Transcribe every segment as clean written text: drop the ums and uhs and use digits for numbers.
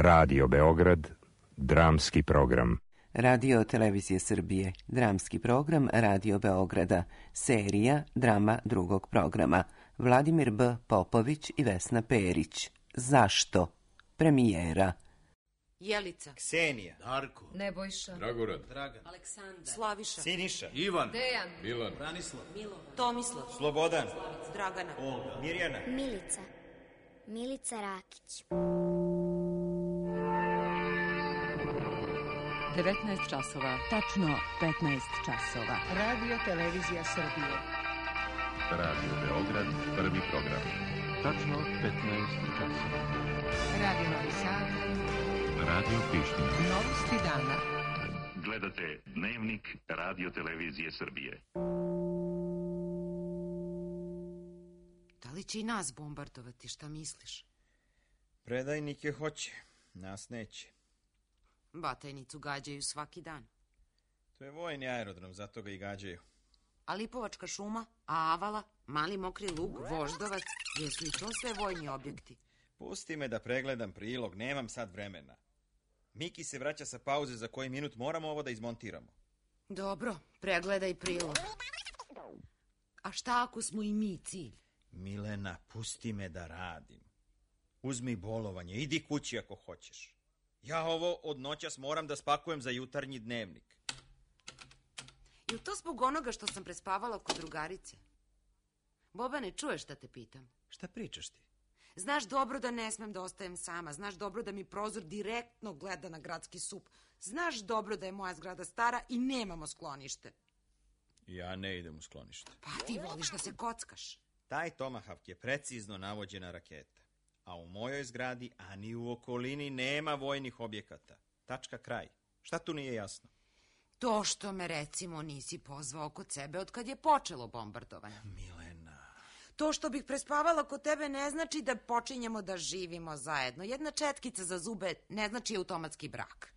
Radio Beograd, dramski program. Radio Televizije Srbije, dramski program Radio Beograda, serija drama drugog programa. Vladimir B. Popović i Vesna Perić. Zašto? Premijera. Jelica, Ksenija, Darko, Nebojša, Dragorad, Dragan, Aleksandar, Slaviša, Siniša, Ivan, Dejan, Milan, Branislav, Tomislav, Slobodan, Dragana, Olga, Mirjana, Milica Rakić. 19 časova, tačno 15 časova. Radio Televizija Srbije. Radio Beograd, prvi program. Tačno 15 časova. Radio Novi Sad. Radio Priština. Novosti dana. Gledate Dnevnik Radio Televizije Srbije. da li će i nas bombardovati, šta misliš? predajnike hoće, nas neće. Batajnicu gađaju svaki dan. To je vojni aerodrom, zato ga i gađaju. A Lipovačka šuma, a Avala, Mali Mokri Lug, Voždovac, jesu i to sve vojni objekti? Pusti me da pregledam prilog, nemam sad vremena. Miki se vraća sa pauze, za koji minut moramo ovo da izmontiramo. Dobro, pregledaj prilog. A šta ako smo i mi cilj? Milena, pusti me da radim. Uzmi bolovanje, idi kući ako hoćeš. Ja ovo od noćas moram da spakujem za jutarnji dnevnik. I to zbog onoga što sam prespavala kod drugarice? Bobane, čuješ šta te pitam? Šta pričaš ti? Znaš dobro da ne smem da ostajem sama. Znaš dobro da mi prozor direktno gleda na gradski sup. Znaš dobro da je moja zgrada stara i nemamo sklonište. Ja ne idem u sklonište. Pa ti voliš da se kockaš. Taj Tomahawk je precizno navođena raketa. A u mojoj zgradi, a ni u okolini, nema vojnih objekata. Tačka, kraj. Šta tu nije jasno? To što me, recimo, nisi pozvao kod sebe od kad je počelo bombardovanje. Milena... To što bih prespavala kod tebe ne znači da počinjemo da živimo zajedno. Jedna četkica za zube ne znači automatski brak.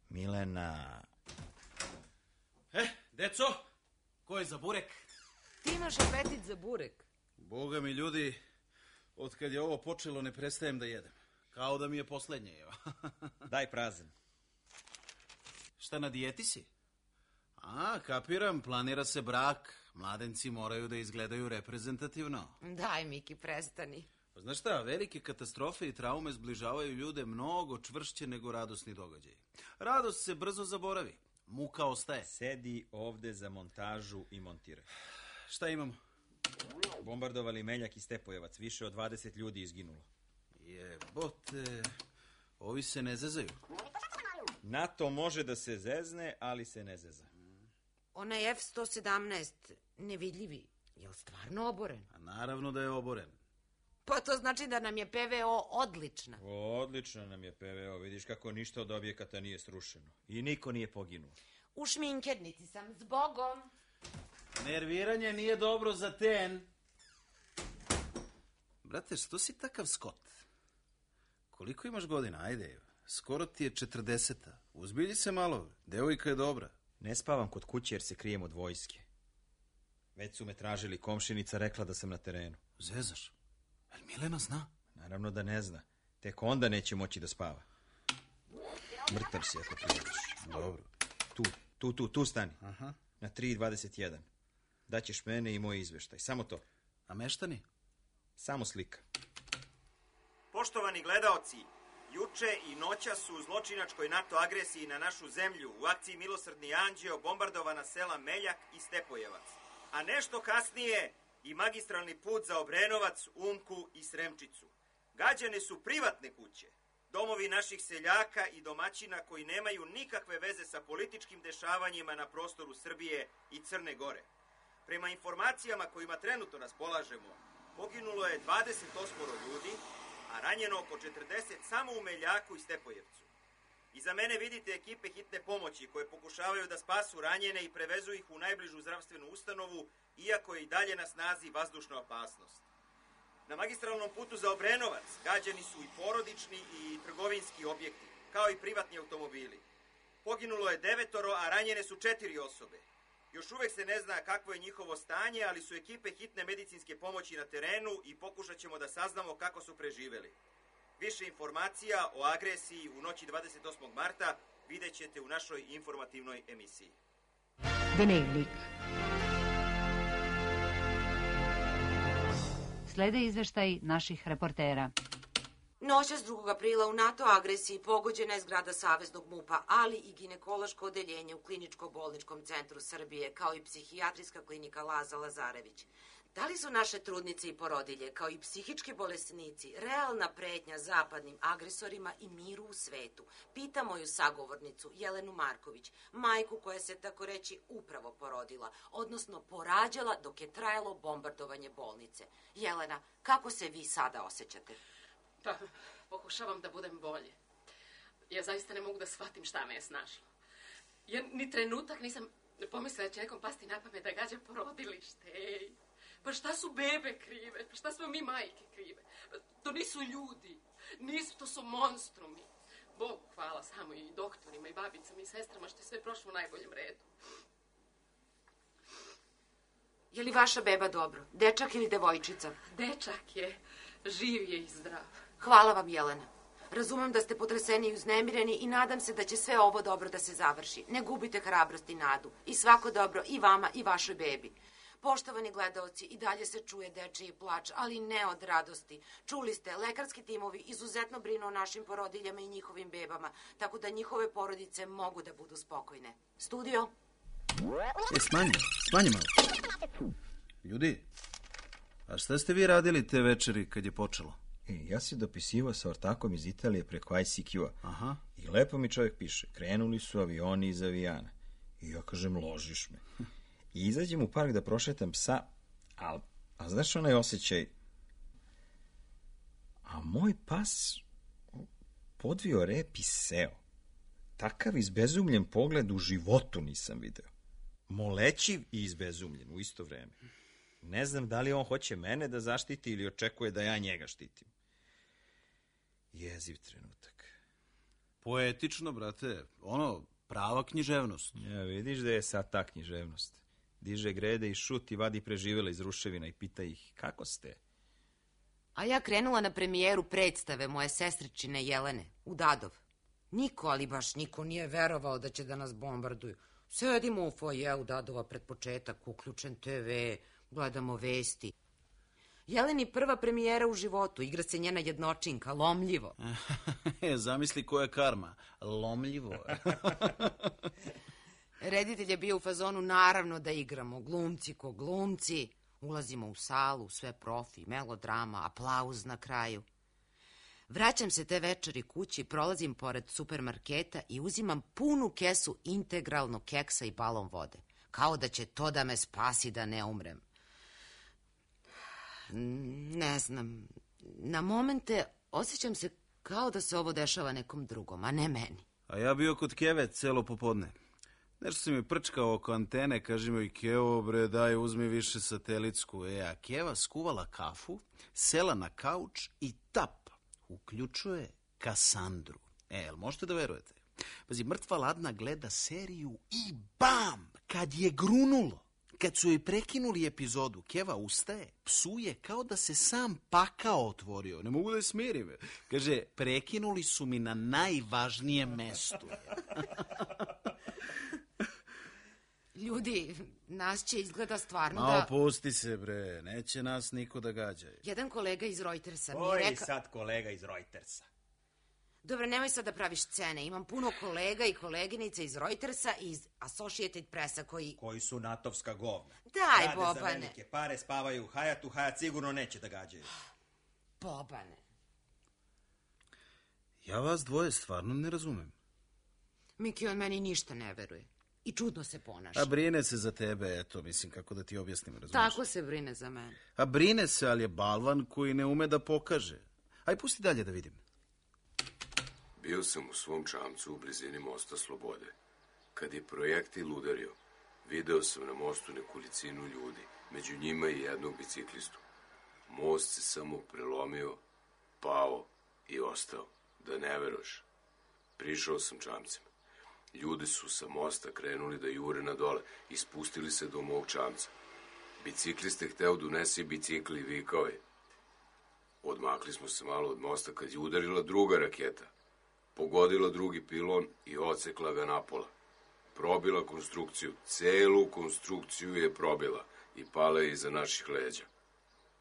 Milena... deco, ko je za burek? Ti imaš apetit za burek. Boga mi, ljudi, od kad je ovo počelo ne prestajem da jedem. Kao da mi je poslednje, evo. Daj prazan. Šta, na dijeti si? A, kapiram, planira se brak. Mladenci moraju da izgledaju reprezentativno. Daj, Miki, prestani. Pa znaš šta, velike katastrofe i traume zbližavaju ljude mnogo čvršće nego radosni događaj. Radost se brzo zaboravi, muka ostaje. Sedi ovde za montažu i montiraj. Šta imamo? Bombardovali Meljak i Stepojevac, više od 20 ljudi izginulo. Jebote, ovi se ne zezaju. NATO može da se zezne, ali se ne zeza. Onaj F-117, nevidljivi, je li stvarno oboren? A naravno da je oboren. Pa to znači da nam je PVO odlična. Odlično nam je PVO, vidiš kako ništa od objekata nije srušeno. I niko nije poginuo. U šminkernici sam, zbogom. Nerviranje nije dobro za ten. Brate, što si takav skot? Koliko imaš godina? Ajde, skoro ti je 40. Uzbilji se malo, devojka je dobra. Ne spavam kod kuće jer se krijem od vojske. Već su me tražili, komšinica rekla da sam na terenu. Zezaš? Jel Milena zna? Naravno da ne zna. Tek onda neće moći da spava. Mrtav si ako priđeš. Dobro. Tu stani. Aha. Na 3:21. Daćeš mene i moj izveštaj. Samo to. A meštani? Samo slika. Poštovani gledaoci, juče i noća su u zločinačkoj NATO agresiji na našu zemlju u akciji Milosrdni anđeo bombardovana sela Meljak i Stepojevac. A nešto kasnije i magistralni put za Obrenovac, Umku i Sremčicu. Gađane su privatne kuće, domovi naših seljaka i domaćina koji nemaju nikakve veze sa političkim dešavanjima na prostoru Srbije i Crne Gore. Prema informacijama kojima trenutno raspolažemo, poginulo je 28 ljudi, a ranjeno oko 40 samo u Meljaku i Stepojevcu. Iza mene vidite ekipe hitne pomoći koje pokušavaju da spasu ranjene i prevezu ih u najbližu zdravstvenu ustanovu, iako je i dalje na snazi vazdušna opasnost. Na magistralnom putu za Obrenovac gađani su i porodični i trgovinski objekti, kao i privatni automobili. Poginulo je 9, a ranjene su 4 osobe. Još uvek se ne zna kakvo je njihovo stanje, ali su ekipe hitne medicinske pomoći na terenu i pokušat ćemo da saznamo kako su preživeli. Više informacija o agresiji u noći 28. marta vidjet ćete u našoj informativnoj emisiji. Dnevnik. Slede izveštaj naših reportera. Noćas 2. aprila u NATO agresiji pogođena je zgrada Saveznog MUP-a, ali i ginekološko odeljenje u Kliničko-bolničkom centru Srbije, kao i psihijatrijska klinika Laza Lazarević. Da li su naše trudnice i porodilje, kao i psihički bolesnici, realna pretnja zapadnim agresorima i miru u svetu? Pita moju sagovornicu Jelenu Marković, majku koja se tako reći upravo porodila, odnosno porađala dok je trajalo bombardovanje bolnice. Jelena, kako se vi sada osjećate? Pa, pokušavam da budem bolje. Ja zaista ne mogu da shvatim šta me je snašlo. Ja ni trenutak nisam pomislila da će nekom pasti na pamet da gađa porodilište. Ej, pa šta su bebe krive? Pa šta smo mi majke krive? To nisu ljudi. Nisu, to su monstrumi. Bogu hvala samo i doktorima i babicama i sestrama što je sve prošlo u najboljem redu. Je li vaša beba dobro? Dečak ili devojčica? Dečak je, živ je i zdrav. Hvala vam, Jelena. Razumem da ste potreseni i uznemireni i nadam se da će sve ovo dobro da se završi. Ne gubite hrabrost i nadu. I svako dobro i vama i vašoj bebi. Poštovani gledaoci, i dalje se čuje dečiji plač, ali ne od radosti. Čuli ste, lekarski timovi izuzetno brinu o našim porodiljama i njihovim bebama, tako da njihove porodice mogu da budu spokojne. Studio? Smanji malo. Ljudi, a šta ste vi radili te večeri kad je počelo? Ja si dopisivao sa ortakom iz Italije preko ICQ-a. Aha. I lepo mi čovjek piše, krenuli su avioni iz avijana. I ja kažem, ložiš me. I izađem u park da prošetam psa, a znaš onaj osjećaj? A moj pas podvio rep i seo. Takav izbezumljen pogled u životu nisam video. Molećiv i izbezumljen u isto vreme. Ne znam da li on hoće mene da zaštiti ili očekuje da ja njega štitim. Jeziv trenutak. Poetično, brate. Prava književnost. Ja, vidiš da je sad ta književnost. Diže grede i šut i vadi preživela iz ruševina i pita ih, kako ste? A ja krenula na premijeru predstave moje sestričine Jelene, u Dadov. Niko, ali baš niko nije verovao da će da nas bombarduju. Sedimo u fojeu Dadova pred početak, uključen TV, gledamo vesti. Jeleni prva premijera u životu, igra se njena jednočinka, Lomljivo. Zamisli koja karma, Lomljivo. Reditelj je bio u fazonu, naravno da igramo, glumci ko glumci. Ulazimo u salu, sve profi, melodrama, aplauz na kraju. Vraćam se te večeri kući, prolazim pored supermarketa i uzimam punu kesu integralnog keksa i balon vode. Kao da će to da me spasi da ne umrem. Ne znam, na momente osjećam se kao da se ovo dešava nekom drugom, a ne meni. A ja bio kod Keve celo popodne. Nešto si mi prčkao oko antene, kaži mi, Kevo, bre, daj, uzmi više satelitsku. A Keva skuvala kafu, sela na kauč i tap, uključuje Kasandru. Jel možete da verujete? Pazi, mrtva ladna gleda seriju i bam, kad je grunulo. Kad su joj prekinuli epizodu, Keva ustaje, psuje kao da se sam pakao otvorio. Ne mogu da je smirim. Kaže, prekinuli su mi na najvažnijem mestu. Ljudi, nas će izgleda stvarno da... Pusti se, bre, neće nas niko da gađa. Jedan kolega iz Reutersa mi je Koji rekao... sad kolega iz Reutersa? Dobro, nemoj sad da praviš scene. Imam puno kolega i koleginica iz Reutersa i iz Associated Pressa koji su natovska govna. Daj, rade Bobane. Za velike pare, spavaju u Hajatu, Hajat sigurno neće da gađaju. Bobane. Ja vas dvoje stvarno ne razumem. Miki, on meni ništa ne veruje. I čudno se ponaša. A brine se za tebe, eto, mislim, kako da ti objasnim, razumiješ? Tako se brine za mene. A brine se, ali je balvan koji ne ume da pokaže. Aj, pusti dalje da vidim. Bio sam u svom čamcu u blizini mosta Slobode. Kad je projektil udario, video sam na mostu nekolicinu ljudi, među njima i jednog biciklistu. Most se samo prelomio, pao i ostao. Da ne veroš. Prišao sam čamcem. Ljudi su sa mosta krenuli da jure na dole i spustili se do mog čamca. Bicikliste hteo da unese bicikli i vikao je. Odmakli smo se malo od mosta kad je udarila druga raketa. Pogodila drugi pilon i odsekla ga napola. Probila konstrukciju, celu konstrukciju je probila i pala je iza naših leđa.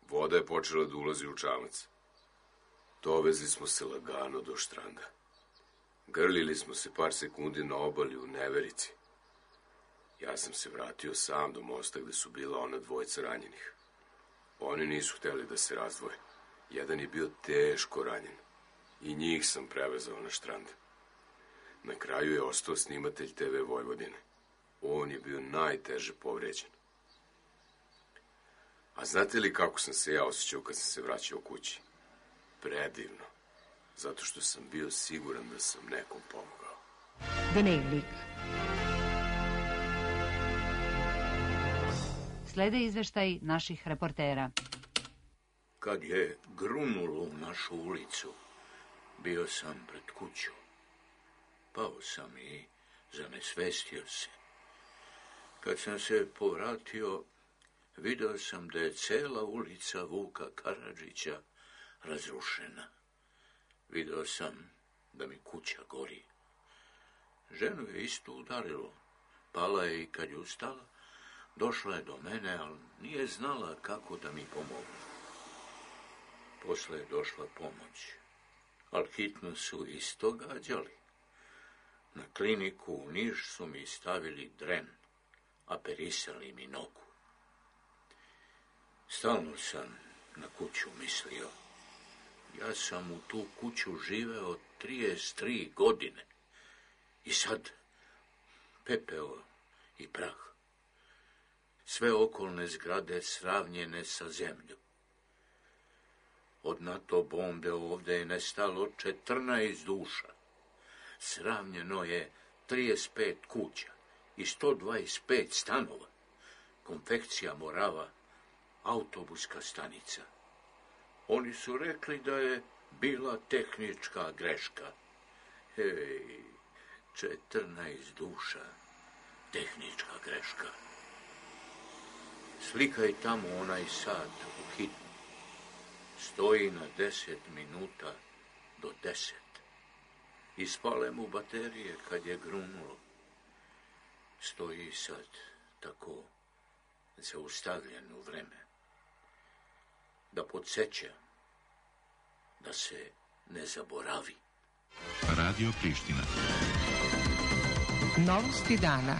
Voda je počela da ulazi u čamac. Dovezli smo se lagano do štranda. Grlili smo se par sekundi na obali u neverici. Ja sam se vratio sam do mosta gde su bila ona dvojica ranjenih. Oni nisu hteli da se razdvoje. Jedan je bio teško ranjen. I njih sam prevezao na štrand. Na kraju je ostao snimatelj TV Vojvodine. On je bio najteže povređen. A znate li kako sam se ja osjećao kad sam se vraćao kući? Predivno. Zato što sam bio siguran da sam nekom pomogao. Dnevnik. Slede izveštaj naših reportera. Kad je grunulo u našu ulicu, bio sam pred kuću. Pao sam i zanesvestio se. Kad sam se povratio, video sam da je cela ulica Vuka Karadžića razrušena. Video sam da mi kuća gori. Ženu je isto udarilo. Pala je i kad je ustala, došla je do mene, ali nije znala kako da mi pomogne. Posle je došla pomoć, ali hitno su isto gađali. Na kliniku u Niš su mi stavili dren, a perisali mi nogu. Stalno sam na kuću mislio. Ja sam u tu kuću živeo 33 godine. I sad pepeo i prah. Sve okolne zgrade sravnjene sa zemljom. Od NATO bombe ovde je nestalo 14 duša. Sravnjeno je 35 kuća i 125 stanova. Konfekcija Morava, autobuska stanica. Oni su rekli da je bila tehnička greška. Hej, 14 duša, tehnička greška. Slikaj tamo onaj sat u hitnu. Stoji na 10 minuta do 10. Ispale mu baterije kad je grunulo. Stoji sad tako zaustavljen u vreme. Da podsjeća, da se ne zaboravi. Radio Priština. Novosti dana.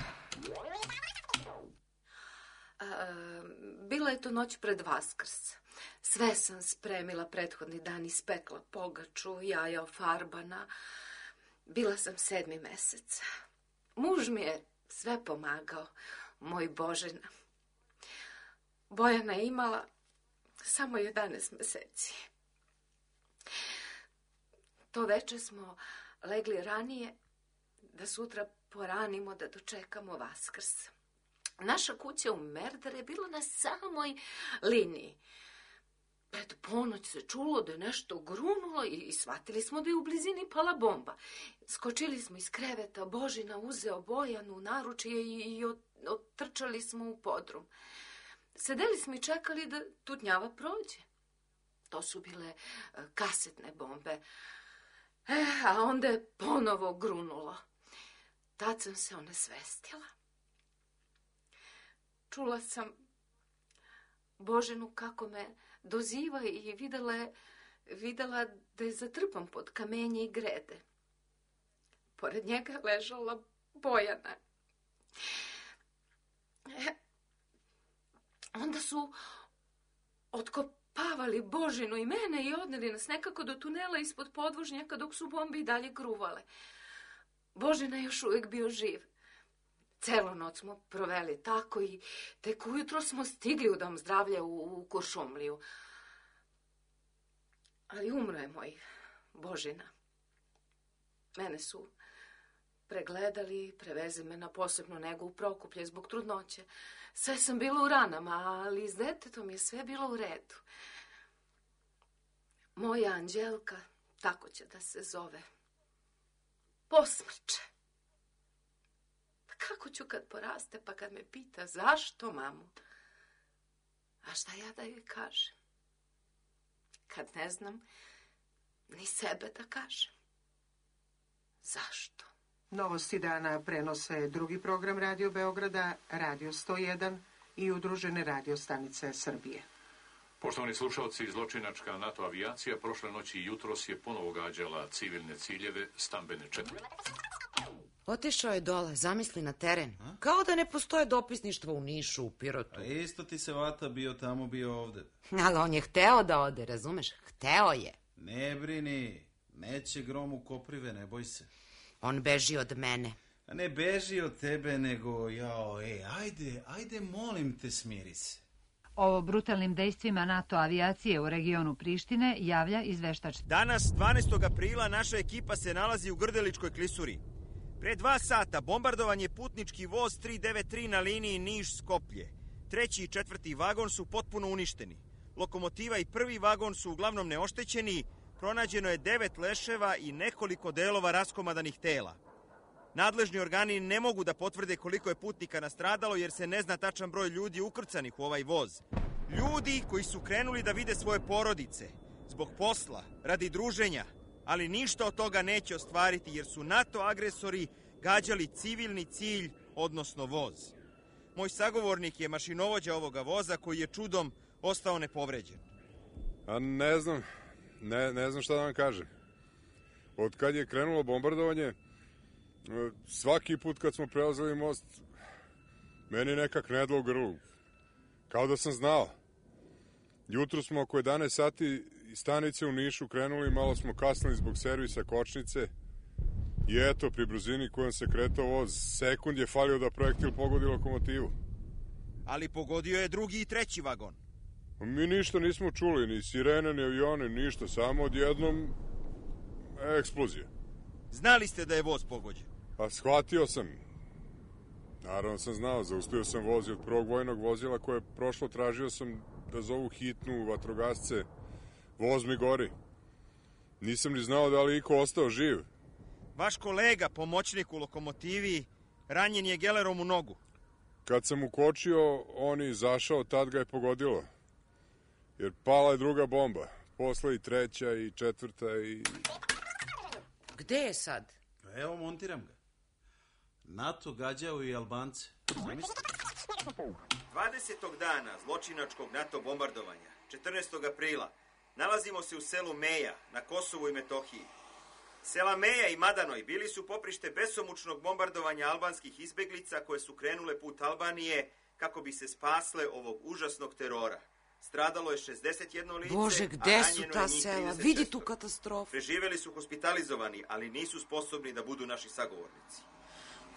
Bila je to noć pred Vaskrs. Sve sam spremila prethodni dan, ispekla pogaču, jaja ofarbana. Bila sam 7. mesec. Muž mi je sve pomagao, moj Božena. Bojana je imala samo 11 meseci. To veče smo legli ranije, da sutra poranimo da dočekamo Vaskrs. Naša kuća u Merdare je bila na samoj liniji. Pred ponoć se čulo da je nešto grunulo i shvatili smo da je u blizini pala bomba. Skočili smo iz kreveta, Božina uzeo Bojanu u naručje i otrčali smo u podrum. Sedeli smo i čekali da tutnjava prođe. To su bile kasetne bombe. A onda je ponovo grunulo. Tad sam se onesvestila. Čula sam Boženu kako me doziva i videla da je zatrpan pod kamenje i grede. Pored njega je ležala Bojana. Onda su otkopavali Božinu i mene i odneli nas nekako do tunela ispod podvožnjaka dok su bombe i dalje gruvale. Božina je još uvijek bio živ. Celu noć smo proveli tako i tek ujutro smo stigli u dom zdravlja u Kuršumliju. Ali umro je moj Božina. Mene su pregledali, preveze me na posebnu negu u Prokuplje zbog trudnoće. Sve sam bila u ranama, ali s detetom je sve bilo u redu. Moja Anđelka, tako će da se zove, posmrče. Kako ću kad poraste, pa kad me pita zašto, mamu? A šta ja da joj kažem? kad ne znam ni sebe da kažem. Zašto? Novosti dana prenose drugi program Radio Beograda, Radio 101 i udružene radio stanice Srbije. Poštovani slušalci, zločinačka NATO avijacija prošle noći i jutros je ponovo gađala civilne ciljeve, stambene četvrti. Otišao je dole, zamisli na teren. Kao da ne postoje dopisništvo u Nišu, u Pirotu. A isto ti se vata bio tamo, bio ovde. Ali on je hteo da ode, razumeš? Hteo je. Ne brini, neće grom u koprive, ne boj se. On beži od mene. A ne beži od tebe, nego, ajde, molim te, smiri se. O brutalnim dejstvima NATO avijacije u regionu Prištine javlja izveštač. Danas, 12. aprila, naša ekipa se nalazi u Grdeličkoj klisuri. Pre 2 sata bombardovan je putnički voz 393 na liniji Niš-Skoplje. 3. i 4. vagon su potpuno uništeni. Lokomotiva i 1. vagon su uglavnom neoštećeni. Pronađeno je 9 leševa i nekoliko delova raskomadanih tela. Nadležni organi ne mogu da potvrde koliko je putnika nastradalo jer se ne zna tačan broj ljudi ukrcanih u ovaj voz. Ljudi koji su krenuli da vide svoje porodice, zbog posla, radi druženja, ali ništa od toga neće ostvariti jer su NATO agresori gađali civilni cilj, odnosno voz. Moj sagovornik je mašinovođa ovoga voza koji je čudom ostao nepovređen. A ne znam šta da vam kažem. Od kad je krenulo bombardovanje, svaki put kad smo prelazili most, meni nekak nedlo u grlu. Kao da sam znao. Jutro smo oko 11 sati iz stanice u Nišu krenuli, malo smo kasnili zbog servisa kočnice i eto, pri brzini kojom se kretao voz, sekund je falio da projektil pogodi lokomotivu. Ali pogodio je 2. i 3. vagon. Mi ništa nismo čuli, ni sirene, ni avione, ništa, samo odjednom eksplozije. Znali ste da je voz pogođen? Pa shvatio sam. Naravno sam znao, zaustavio sam voz od prvog vojnog vozila koje je prošlo, tražio sam da zovu hitnu, vatrogasce. Voz mi gori. Nisam ni znao da li iko ostao živ. Vaš kolega, pomoćnik u lokomotivi, ranjen je gelerom u nogu. Kad sam ukočio, on je izašao, tad ga je pogodilo. Jer pala je druga bomba. Posle i 3. i 4. i... Gde je sad? Evo, montiram ga. NATO gađao i Albance. Zamislite. 20. dana zločinačkog NATO bombardovanja, 14. aprila, nalazimo se u selu Meja, na Kosovu i Metohiji. Sela Meja i Madanoj bili su poprište besomučnog bombardovanja albanskih izbeglica koje su krenule put Albanije kako bi se spasle ovog užasnog terora. Stradalo je 61 lice, Bože, gde su ta sela? Vidi tu katastrofu. Preživeli su hospitalizovani, ali nisu sposobni da budu naši sagovornici.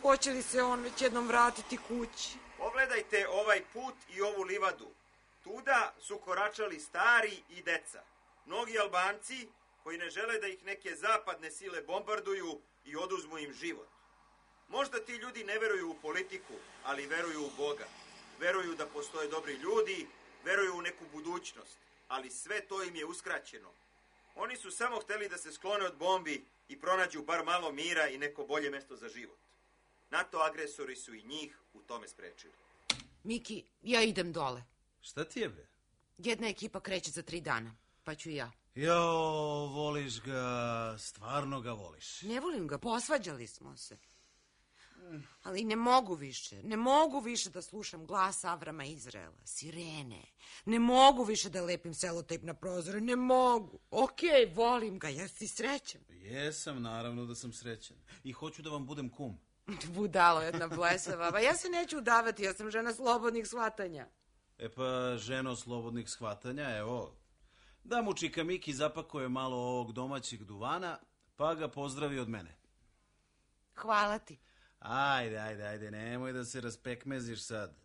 Hoće li se on već jednom vratiti kući? Pogledajte ovaj put i ovu livadu. Tuda su koračali stari i deca. Mnogi Albanci koji ne žele da ih neke zapadne sile bombarduju i oduzmu im život. Možda ti ljudi ne veruju u politiku, ali veruju u Boga. Veruju da postoje dobri ljudi, veruju u neku budućnost, ali sve to im je uskraćeno. Oni su samo hteli da se sklone od bombi i pronađu bar malo mira i neko bolje mesto za život. NATO agresori su i njih u tome sprečili. Miki, ja idem dole. Šta ti je, bre? Jedna ekipa kreće za 3 dana, pa ću i ja. Voliš ga, stvarno ga voliš. Ne volim ga, posvađali smo se. Ali ne mogu više da slušam glas Avrama Izraela, sirene. Ne mogu više da lepim selotejp na prozore, ne mogu. Okej, volim ga, jesi srećan? Jesam, naravno da sam srećan. I hoću da vam budem kum. Budalo jedna blesava, ja se neću udavati, ja sam žena slobodnih shvatanja. E pa, ženo slobodnih shvatanja, evo, da mu čika Miki zapakuje malo ovog domaćeg duvana, pa ga pozdravi od mene. Hvala ti. Ajde, nemoj da se raspekmeziš sad.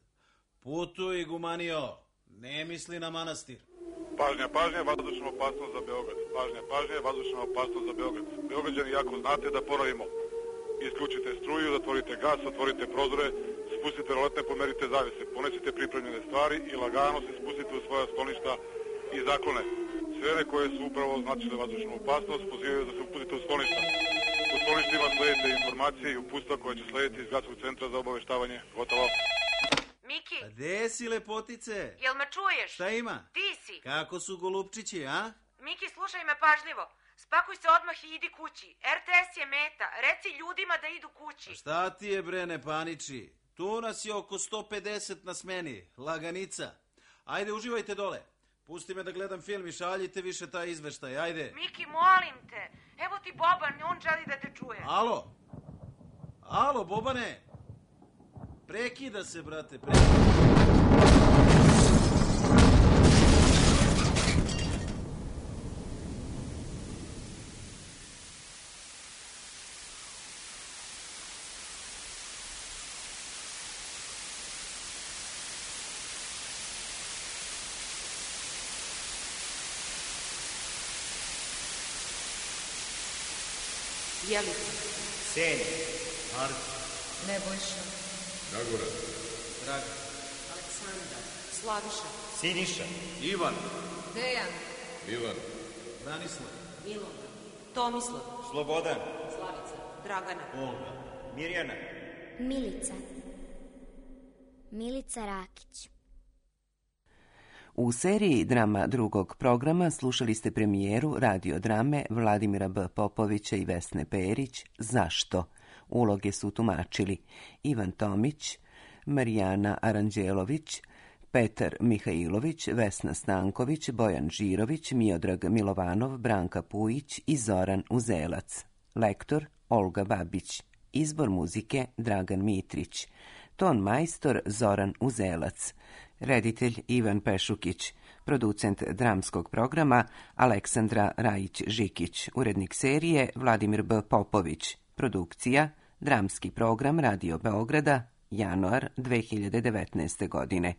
Putuj, gumanio, ne misli na manastir. Pažnja, vazdušna opasnost za Beograd. Pažnja, vazdušna opasnost za Beograd. Beograđani, jako znate da ponovimo. Isključite struju, zatvorite gas, otvorite prozore, spustite roletne, pomerite zavese, ponesite pripremljene stvari i lagano se spustite u svoja skloništa i zaklone. Sfere koje su upravo označile vazdušnu opasnost pozivaju da se uputite u skloništa. U skloništima sledite informacije i upustva koje će slediti iz Gradskog centra za obaveštavanje. Gotovo. Miki! A gde si, lepotice? Jel me čuješ? Šta ima? Ti si! Kako su golupčići, a? Miki, slušaj me pažljivo. Spakuj se odmah i idi kući. RTS je meta. Reci ljudima da idu kući. Šta ti je, bre, ne paniči? Tu nas je oko 150 na smeni. Laganica. Ajde, uživajte dole. Pusti me da gledam film i šaljite više taj izveštaj. Ajde. Miki, molim te. Evo ti Boban, on želi da te čuje. Alo? Alo, Bobane? Prekida se, brate, prekida. Jelica. Senja. Marko. Nebojša. Dragoran. Dragan. Aleksandar. Slaviša. Siniša. Ivan. Dejan. Milan. Branislav. Milona. Tomislav. Slobodan. Slavica. Dragana. Olga. Mirjana. Milica. Milica Rakić. U seriji drama drugog programa slušali ste premijeru radiodrame Vladimira B. Popovića i Vesne Perić Zašto? Uloge su tumačili Ivan Tomić, Marijana Aranđelović, Petar Mihajlović, Vesna Stanković, Bojan Žirović, Miodrag Milovanov, Branka Pujić i Zoran Uzelac. Lektor Olga Babić. Izbor muzike Dragan Mitrić. Ton majstor Zoran Uzelac. Reditelj Ivan Pešukić. Producent dramskog programa Aleksandra Rajić-Žikić. Urednik serije Vladimir B. Popović. Produkcija Dramski program Radio Beograda, januar 2019. godine.